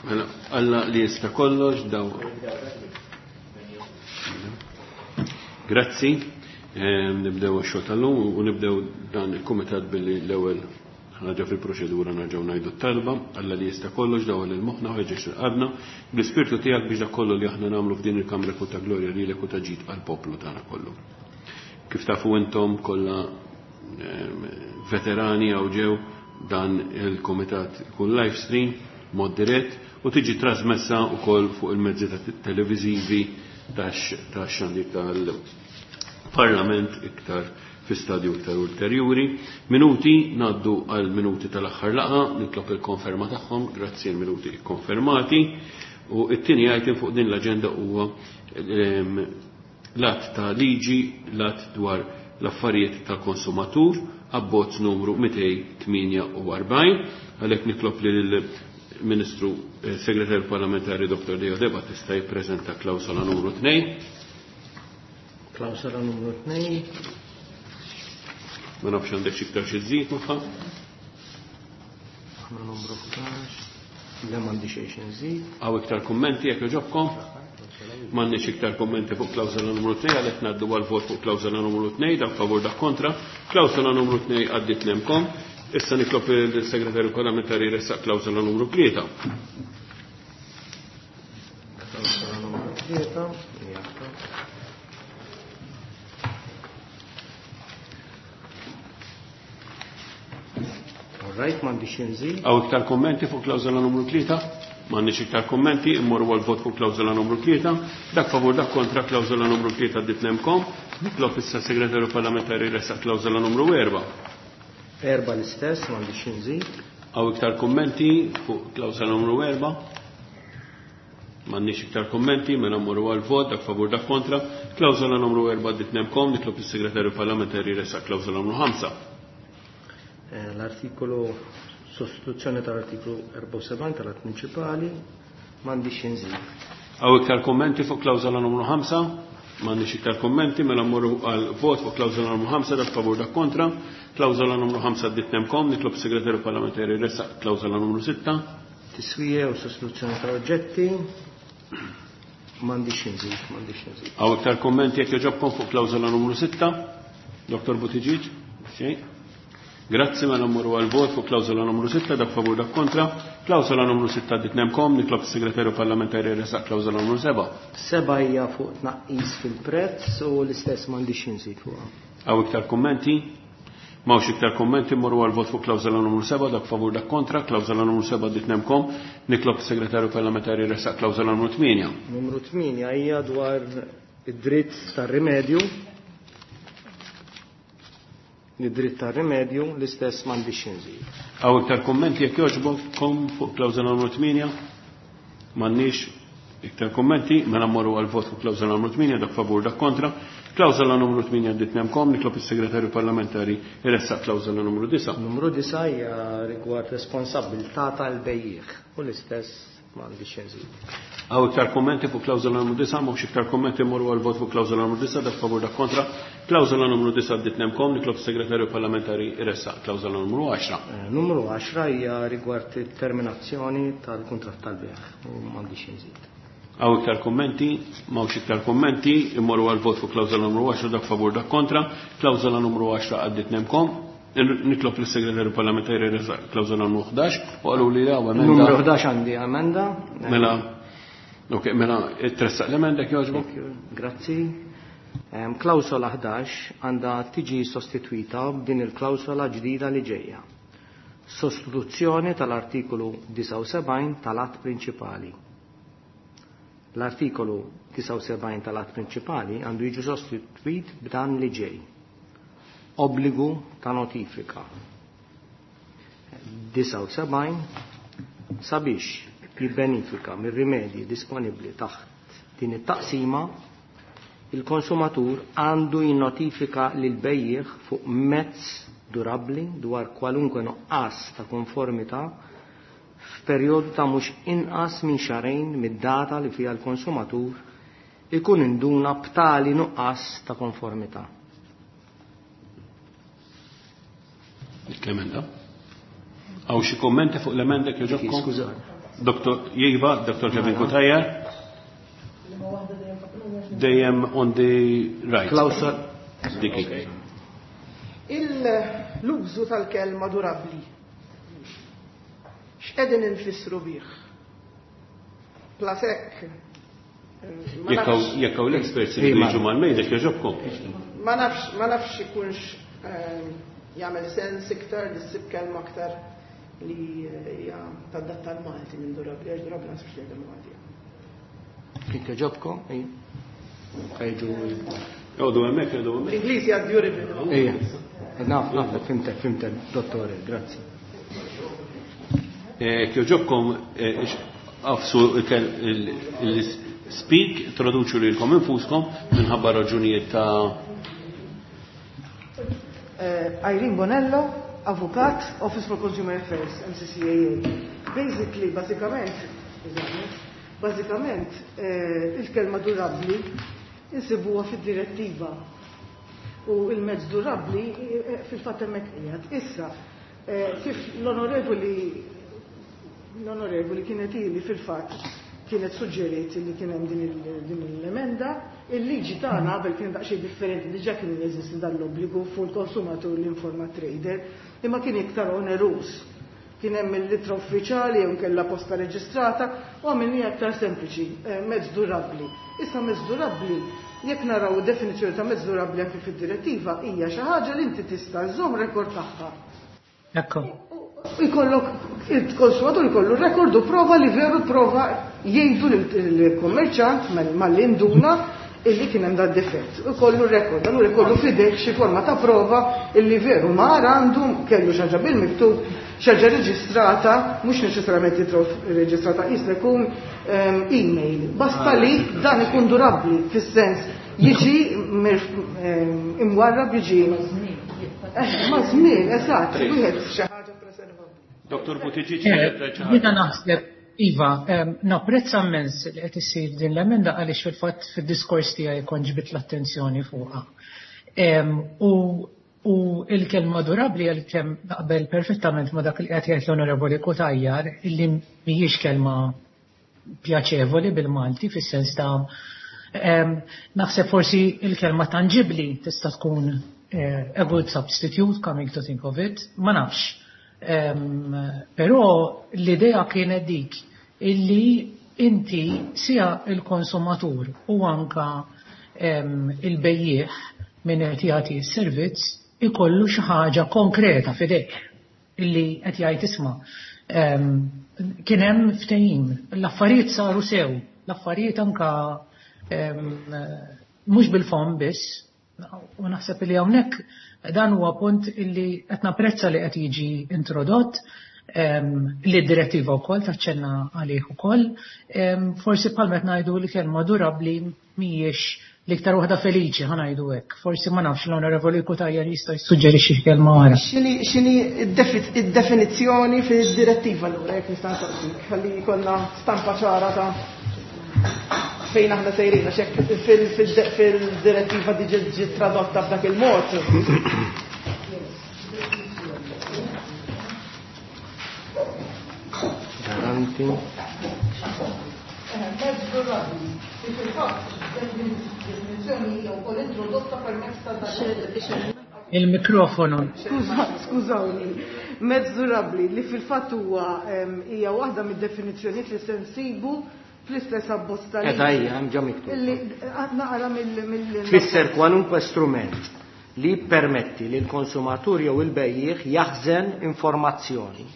Mela, Alla li jista' kollox daw. Grazzi. Nibdew ix-xogħol tal-lum u nibdew dan il-kumitat billi l-ewwel ħaġa fil-proċedura nerġgħu ngħidu t-talba, Alla li jista' kollox daw lil moħħna u ħeġġeġ qalbna bl-ispirtu tiegħek biex dak kollu li aħna nagħmlu f'din il-kamra jkun ta' glorja lilek u ta' ġid għall-poplu tagħna kollu. Kif tafu intom kollha veterani hawn ġew dan il-kumitat ikun live stream mod dirett u tiġi trasmessa wkoll fuq il-mezzi ta' televiżivi tax-xandir tal-Parlament iktar fi stadju iktar ulterjuri. Minuti, ngħaddu għal minuti tal-aħħar laqgħa, nitlob il-konferma tagħhom, grazzi l-minuti ikkonfermati. U t-tieni item fuq din l-aġenda huwa l-att ta' liġi, l-att dwar l-affarijiet tal-konsumatur, abbozz numru 248. Għalhekk nitlob lill-Ministru Segretarju Parlamentari Dr. Leo De Battista jippreżenta klawsola numru 2. Klawsola numru 2. Ma nafx għandek xi iktar xi żżid magħha. Aħna numru 11. Le m'għandi xejn xi nżid. Hawn iktar kummenti jekk jogħġobkom? M'għandniex iktar kummenti fuq klawsola numru 2 għalhekk ngħaddu għal vot fuq klawsola numru 2 dak favur dak kontra. Klawsola numru 2 għaddiet nemkom. Issa nitlob il-Segretarju Parlamentari jressaq klawsola numru 3. Klawsola numru 3. Right, m'għandix inżid. Hawn iktar kummenti fuq klawsola numru 3? M'għandniex iktar kummenti, immorru għal vot fuq klawsola numru 3. Dak favur dak kontra klawsola numru 3 għaddiet nemkom. Nitlob issa Segretarju Parlamentari jressaq klawsola numru 4. 4 l-istess, m'għandix inżid. Hawn iktar kummenti fuq klawsola numru 4? M'għandniex iktar kummenti, mela mmorru għal vot, dak favur dak kontra. Klawsola numru 4 għaddiet nemkom, nitlob is-Segretarju Parlamentari jressaq klawsola numru 5. L-artikolu sostituzzjoni tal-artiklu 74 tal-att prinċipali m'għandix inżid. Hawn iktar kummenti fuq klawsola numru 5? M'għandix iktar kummenti, mela mmorru għal vot fuq klawsola numru 5, dak favur dak kontra. Klawsola numru 5 għaddiet nemkom, nitlob is-Segretarju Parlamentari jressaq klawsola numru 6. Tiswija u sostituzzjoni tal-oġġetti m'għandix inżid, m'għandix inżid. Hawn iktar kummenti jekk jogħġobkom fuq klawsola numru 6? Dr. Buttigieg? Xejn? Grazzi, mela mmorru għal vot fuq klawsola numru 6, dak favur dak kontra. Klawsola numru 6 għaddiet nemkom, nitlob is-Segretarju Parlamentari jressaq klawsola numru 7. 7 hija fuq tnaqqis fil-prezz u l-istess m'għandix inżid fuqha. Hawn iktar kummenti? M'hawnx iktar kummenti, mmorru għal vot fuq klawsola numru 7, dak favur dak kontra. Klawsola numru 7 għaddiet nemkom, nitlob is-Segretarju Parlamentari jressaq klawsola numru 8. Numru 8 hija dwar id-dritt tar-rimedju. Id-dritt tar-rimedju l-istess m'għandix inżid. Hawn iktar kummenti jekk jogħġbok fuq klawsola numru 8? M'għandniex iktar kummenti, mela mmorru għal vot fuq klawsola numru 8, dak favur dak kontra. Klawsola numru 8 għaddiet nemkom, nitlob is-Segretarju Parlamentari jressaq klawsola numru 9. Numru 9 hija rigward responsabilità tal-bejjiegħ u l-istess m'għandix inżid. Hawn iktar kummenti fuq klawsola numru 9, m'hawnx iktar kummenti, mmorru għal vot fuq klawsola numru 9, dak favur dak kontra. Klawsola numru 9 għaddiet nemkom, nitlob is-Segretarju Parlamentari jressaq klawsola numru 10. Numru 10 hija rigward it-terminazzjoni tal-kuntratt tal-bejgħ u m'għandix inżid. Hawn iktar kummenti, m'hawnx iktar kummenti, immorru għal vot fuq klawsola numru 10, dak favur dak kontra. Klawsola numru 10 għaddiet nemkom. Nitlob lis-Segretarju Parlamentari jressaq klawsola numru 11 u qalu li hawn emenda. Numru 11 għandi emenda. Mela, ok, mela tressaq l-emenda jekk jogħġbok. Grazzi. Klawsola 11 għandha tiġi sostitwita b'din il-klawsola ġdida li ġejja. Sostituzzjoni tal-artikolu 79 tal-att prinċipali. L-artikolu 79 tal-att prinċipali għandu jiġi sostitwit b'dan li ġej. Obbligu ta' notifika. 79 sabiex jibbenifika mir-rimedji disponibbli taħt din it-taqsima, il-konsumatur għandu jinnotifika lil bejjiegħ fuq mezz durabbli dwar kwalunkwe nuqqas ta' konformità f'perjodu ta' mhux inqas minn xahrejn mid-data li fiha l-konsumatur ikun induna b'tali nuqqas ta' konformità. Dik l-emenda. Hawn xi kummenti fuq l-emenda jekk jogħġobkom? Skużani. Dr. Iva, Dr. Kevin Cutajar. Dejjem on the right. Klausol. Diki. L-użu tal-kelma durabli. X'qegħdin infissru bih? Plasek. Jekk hawn l-experts li jiġu mal-mejda jogħġobkom. Ma nafx, ma nafx ikunx jagħmel sens iktar li ssib kelma aktar li hija tadatta l-Malti minn durabli, għax durabli ma nsibx li Malti. Kif jogħġobkom? Ejġu. Joqogħdu hemmhekk, joqogħdu hemmhekk. L-Ingliż hija durable. Ejja. Naf, naf, fhimtek, fhimtek, dottore, grazzi. Jogħġobkom agħfsu il-speak, introduċu lilkom infuskom minħabba raġunijiet ta' Irene Bonello, Avukat, Office for Consumer Affairs, MCCAA. Basically, basikament, basikament, il-kelma durabli insibuha fid-direttiva. U il-mezz durabli fil-fatt hemmhekk qiegħed. Issa, kif l-onorevoli kienet ili fil-fatt kienet suġġeriet li kien hemm din l-emenda, il-liġi tagħna qabel kien daqsxejn differenti, diġà kien jeżisti dan l-obbligu fuq il-konsumatur l-informa trader, imma kien iktar oneruż. Kien hemm il-litra uffiċjali jew kellha posta reġistrata u għamilniha aktar sempliċi, mezz durabbli. Issa mezz durabbli, jekk naraw id-definizzjoni ta' mezz durabbli anke fid-direttiva, hija xi ħaġa li inti tista' żżomm rekord tagħha. Ekku. Ikollok, il-konsumatur ikollu rekord u prova li veru prova jgħidu l-kommerċant mal-induna illi kien hemm dan difett. Ikollu rekord, allura ikollu f'idejh xi forma ta' prova illi veru mar għandu kellu xi ħaġa bil-miktub, xi ħaġa reġistrata, mhux neċessarjament reġistrata, jista' jkun email. Basta li dan ikun durabbli fis-sens jiġi imwarrab jiġi ma' żmien, eżatt, wieħed xi ħaġa preservabbli. Dr. Buttigieg, Jiena naħseb, Iva, napprezza immens li qed issir din l-emenda għaliex fil-fatt fid-diskors tiegħi kont ġbit l-attenzjoni fuqha. U il-kelma durabbli għalkemm naqbel perfettament ma' dak li qed jgħid l-Onorevoli Cutajar illi mhijiex kelma pjaċevoli bil-Malti fis-sens ta' naħseb forsi il-kelma tangibli tista' tkun a good substitute coming to think of it, ma nafx. Però l-idea kienet dik illi inti sia il-konsumatur u anka il-bejjiegħ min qed jagħti s-servizz ikollu xi ħaġa konkreta f'idejh illi qed jgħid isma' kien hemm ftehim, l-affarijiet saru sew, l-affarijiet anka mhux bil-fom biss, u naħseb li hawnhekk dan huwa punt illi qed napprezza li qed jiġi introdott, li d-direttiva wkoll taċċenna għalih ukoll. Forsi bħalma qed ngħidu li kelma durabbli mhijiex l-iktar waħda feliċi, ħa ngħidu hekk. Forsi ma nafx l-Onorevoli Cutajar jista' jissuġġerixxi kelma oħra. X'inhi id-definizzjoni fid-direttiva allura jekk nista' nsaqsik, ħalli jkollna stampa ċara ta' fejn aħna sejrin, għax hekk fil-direttiva diġà ġiet tradotta f'dak il-mod. Garanti. Mezz durabbli. Fil-fatt, definizzjoni hija wkoll introdotta permezz ta' dak Il-mikrofonu. Skużawni. Mezz durabbli li fil-fatt huwa hija waħda mid-definizzjonijiet li se nsibu fl-istess abbozz tal- Eda hija, hemm ġa miktub. Illi naqra mill- Tfisser kwalunkwe strument li jippermetti li l-konsumatur jew il-bejjiegħ jaħżen informazzjoni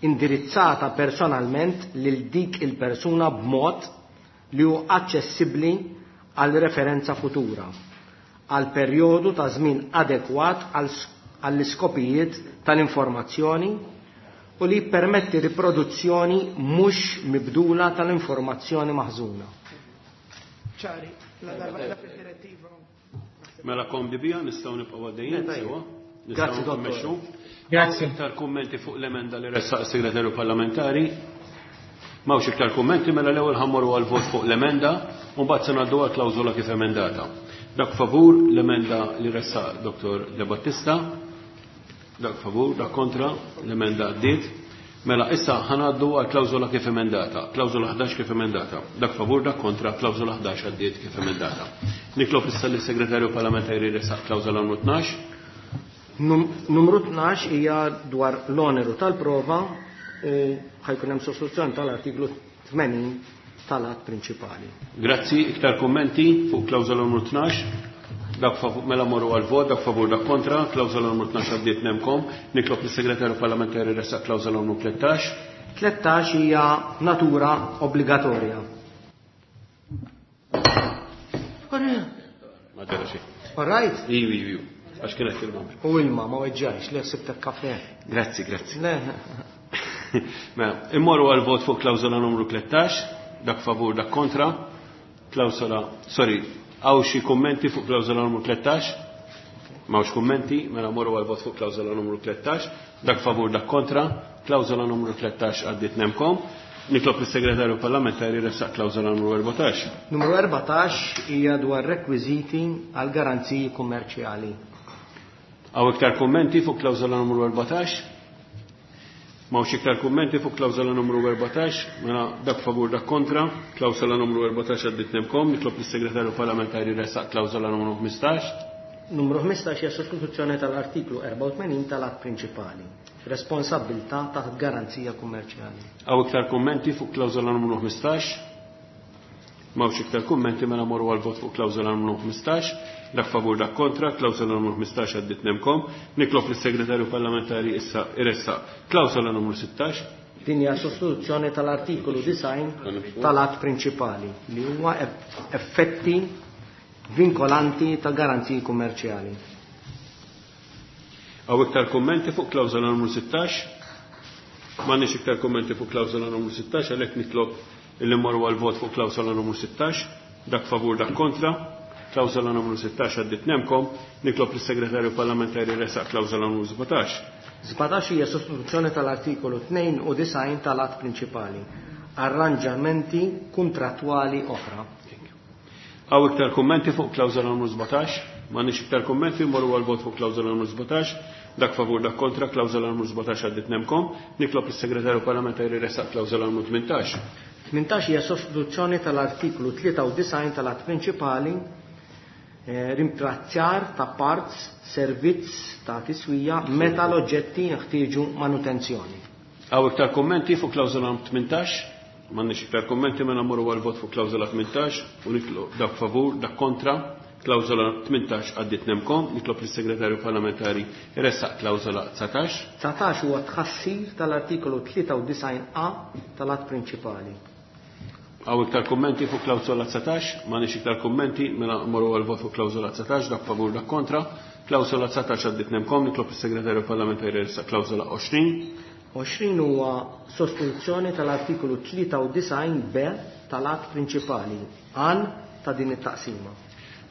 indirizzata personalment lil dik il-persuna b'mod li hu aċċessibbli għal referenza futura għal perjodu ta' żmien adekwat għall-iskopijiet tal-informazzjoni u li jippermetti riproduzzjoni mhux mibdula tal-informazzjoni maħżuna. Ċari, la darba qiegħda fid-direttiva. Mela komdi bija nistgħu nibqgħu għaddejjin sewwa. Nistgħu Grazzi, dottor. nmexxu. Grazzi. Iktar kummenti fuq l-emenda li ressaq is-segretarju parlamentari. M'hawnx iktar kummenti, mela l-ewwel ħammorru għal vot fuq l-emenda u mbagħad se ngħaddu għal klawżola kif emendata. Dak favur l-emenda li ressaq Dottor De Battista, dak favur, dak kontra, l-emenda għaddiet. Mela, issa ħa ngħaddu għal klawżola kif emendata. Klawżola 11 kif emendata. Dak favur, dak kontra, klawżola 11 għaddiet kif emendata. Nitlob issa lis-Segretarju Parlamentari jressaq klawżola numru 12. Numru 12 hija dwar l-oneru tal-prova u ħa jkun hemm sostituzzjoni tal-artiklu 80 tal-att prinċipali. Grazzi, iktar kummenti fuq klawżola numru 12? Dak favur, mela morru għal vot, dak favur, dak kontra, klawżola numru 12 għaddiet nemkom. Nitlob lis-Segretarju Parlamentari jressaq klawżola numru 13. 13 hija natura obbligatorja. Ma ġara xejn. All right? Iu, iu, iu. Għax kienet ilma. U ilma, ma weġġajx, le sibtek kafe. Grazzi, grazzi. Le. Mela, immorru għal vot fuq klawżola numru 13, dak favur, dak kontra. Klawżola, sorry, hawn xi kummenti fuq klawżola numru 13? M'hawnx kummenti, mela morru għal vot fuq klawżola numru 13, dak favur, dak kontra. Klawżola numru 13 għaddiet nemkom. Nitlob lis-Segretarju Parlamentari jressaq klawżola numru 14. Numru 14 hija dwar rekwiżiti għal garanziji kummerċjali. Hawn iktar kummenti fuq klawżola numru 14? M'hawnx iktar kummenti fuq klawżola numru 14, mela dak favur, dak kontra, klawżola numru 14 għaddiet nemkom, nitlob lis-Segretarju Parlamentari jressaq klawżola numru 15. Numru 15 hija sostituzzjoni tal-artiklu 84 tal-att prinċipali. Responsabbiltà taħt garanzija kummerċjali. Hawn iktar kummenti fuq klawżola numru 15? M'hawnx iktar kummenti, mela morru għal vot fuq klawżola numru 15. Dak favur, dak kontra, klawżola numru 15 għaddiet nemkom. Nitlob lis-Segretarju Parlamentari issa jressaq klawżola numru 16. Din hija sostituzzjoni tal-artikolu 90 tal-att prinċipali li huwa effetti vinkolanti ta' garanziji kummerċjali. Hawn iktar kummenti fuq klawżola numru 16? M'għandniex iktar kummenti fuq klawżola numru 16, għalhekk nitlob illi mmorru għal vot fuq klawżola numru 16. Dak favur, dak kontra. Klawżola numru 16 għaddiet nemkom. Nitlob lis-Segretarju Parlamentari jressaq klawżola numru 17. 17 hija sostituzzjoni tal-artikolu 92 tal-att prinċipali. Arranġamenti kontrattwali oħra. Hawn iktar kummenti fuq klawżola numru 17? M'għandniex iktar kummenti, mmorru għal vot fuq klawżola numru 17. Dak favur, dak kontra, klawżola numru 17 għaddiet nemkom. Nitlob lis-Segretarju Parlamentari jressaq klawżola numru 18. 18 hija sostituzzjoni tal-artiklu 93 tal-att prinċipali, rimprazzjar ta' parts, servizz ta' tiswija meta l-oġġetti jeħtieġu manutenzjoni. Hawn iktar kummenti fuq klawżola 18? M'għandniex iktar kummenti, mela mmorru għal vot fuq klawżola 18 u nitlob dak favur, dak kontra. Klawżola 18 għaddiet nemkom. Nitlob lis-Segretarju Parlamentari jressaq klawżola 19. 19 huwa tħassir tal-artikolu 93 A tal-att prinċipali. Hawn iktar kummenti fuq klawżola 19? M'għandniex iktar kummenti, mela mmorru għal vot fuq klawżola 19, dak favur, dak kontra. Klawżola 19 għaddiet nemkom. Nitlob lis-Segretarju Parlamentari jressaq klawżola 20. 20 huwa sostituzzjoni tal-artikolu 93 B tal-att prinċipali għan ta' din it-taqsima.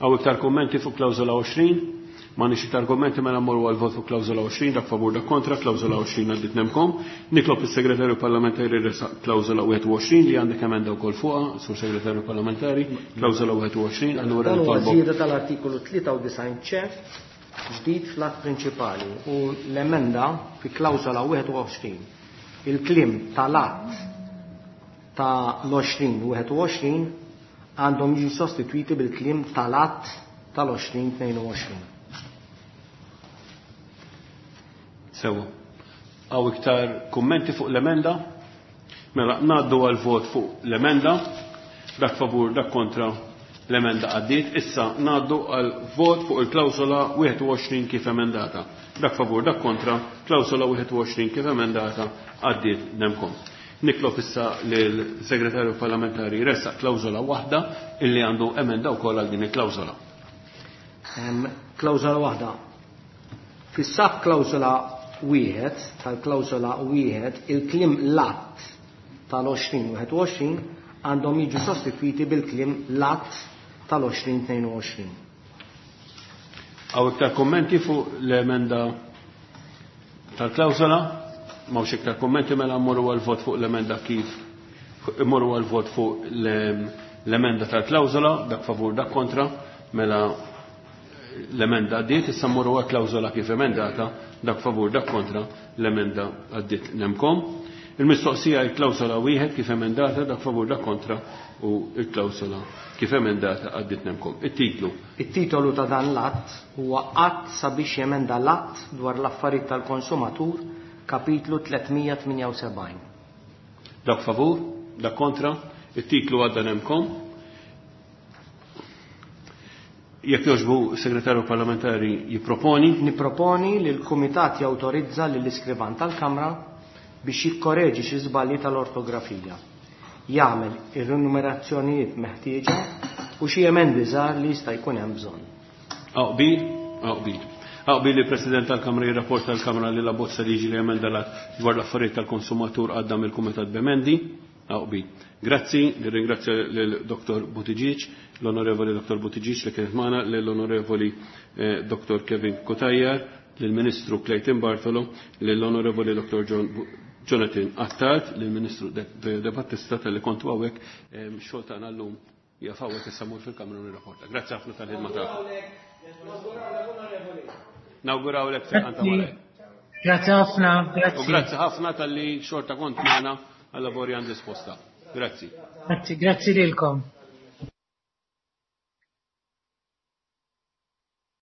Hawn iktar kummenti fuq klawżola 20? M'għandniex iktar kummenti, mela mmorru għal vot fuq klawżola 20, dak favur, dak kontra, klawżola 20 għaddiet nemkom. Nitlob lis-Segretarju Parlamentari jressaq klawżola 21 li għandek emenda wkoll fuqha, Sur Segretarju Parlamentari, klawżola 21, allura Dan huwa nitolbok. żieda tal-artikolu 93 C ġdid fl-att prinċipali u l-emenda fi klawżola 21. Il-kliem tal-att ta' l-20 21 għandhom jiġu sostitwiti bil-kliem tal-att tal-20 22. Sewa. Hawn iktar kummenti fuq l-emenda? Mela, ngħaddu għal vot fuq l-emenda. Dak favur, dak kontra, l-emenda għaddiet. Issa ngħaddu għal vot fuq il-klawsola 21 kif emendata. Dak favur, dak kontra, klawsola 21 kif emendata għaddiet nemkom. Nitlob issa lill-Segretarju Parlamentari jressaq klawsola waħda illi għandu emenda wkoll għal din il-klawsola. Klawsola waħda. Fis-sab klawsola wieħed tal-klawsola wieħed il-kliem lat tal-20 21 għandhom jiġu sostitwiti bil-kliem lat tal-20 22. Hawn iktar kommenti fuq l-emenda tal-klawsola? M'hawnx iktar kommenti, mela mmorru għal vot fuq l-emenda kif immorru għal vot fuq l-emenda tal-klawsola, dak favur, dak kontra, mela l-emenda għaddiet. Issa mmorru għal klawsola kif emendata, dak favur, dak kontra, l-emenda għaddiet nemkom. Il-mistoqsija il-klawsola wieħed kif emendata dak favur dak kontra u il-klawsola kif emendata għaddit nemkom. It-titlu. It-titolu ta' dan l-att huwa Att sabiex jemenda l-Att dwar l-affarijiet tal-konsumatur, kapitlu 378. Dak favur, dak kontra, it-titlu għadda nemkom. Jekk jogħġbu segretarju parlamentari jipproponi. Nipproponi li l-Kumitat jawtorizza lill-iskrivan tal-Kamra biex jikkoreġi xi żbalji tal-ortografija, jagħmel ir-rinumerazzjonijiet meħtieġa u xi emendi żgħar li jista' jkun hemm bżonn. Hawn qbil? Hawn qbil. Hawn qbil li l-President tal-Kamra jirrapporta l-Kamra li l-abbozz ta' liġi li jemenda l-Att dwar l-affarijiet tal-konsumatur għadda mill-Kumitat b'emendi? Hawn qbil. Grazzi, nirringrazzja lil Dr. Buttigieg, l-Onorevoli Dr. Buttigieg li kienet magħna, lill-Onorevoli Dr. Kevin Cutajar, lill-Ministru Clayton Bartolo, lill-Onorevoli Dr. John Jonathan Attard, lill-Ministru De Battista talli kontu hawnhekk, x-xogħol tagħna llum jaf hawnhekk issa mmur fil-Kamra u nirrapporta. Grazzi ħafna tal-ħidma tagħkom. Nawgurawlek fejqan ta' malajr. Grazzi ħafna, grazzi. U grazzi ħafna talli xorta kont magħna għal lavorja disposta. Grazzi. Grazzi, grazzi lilkom.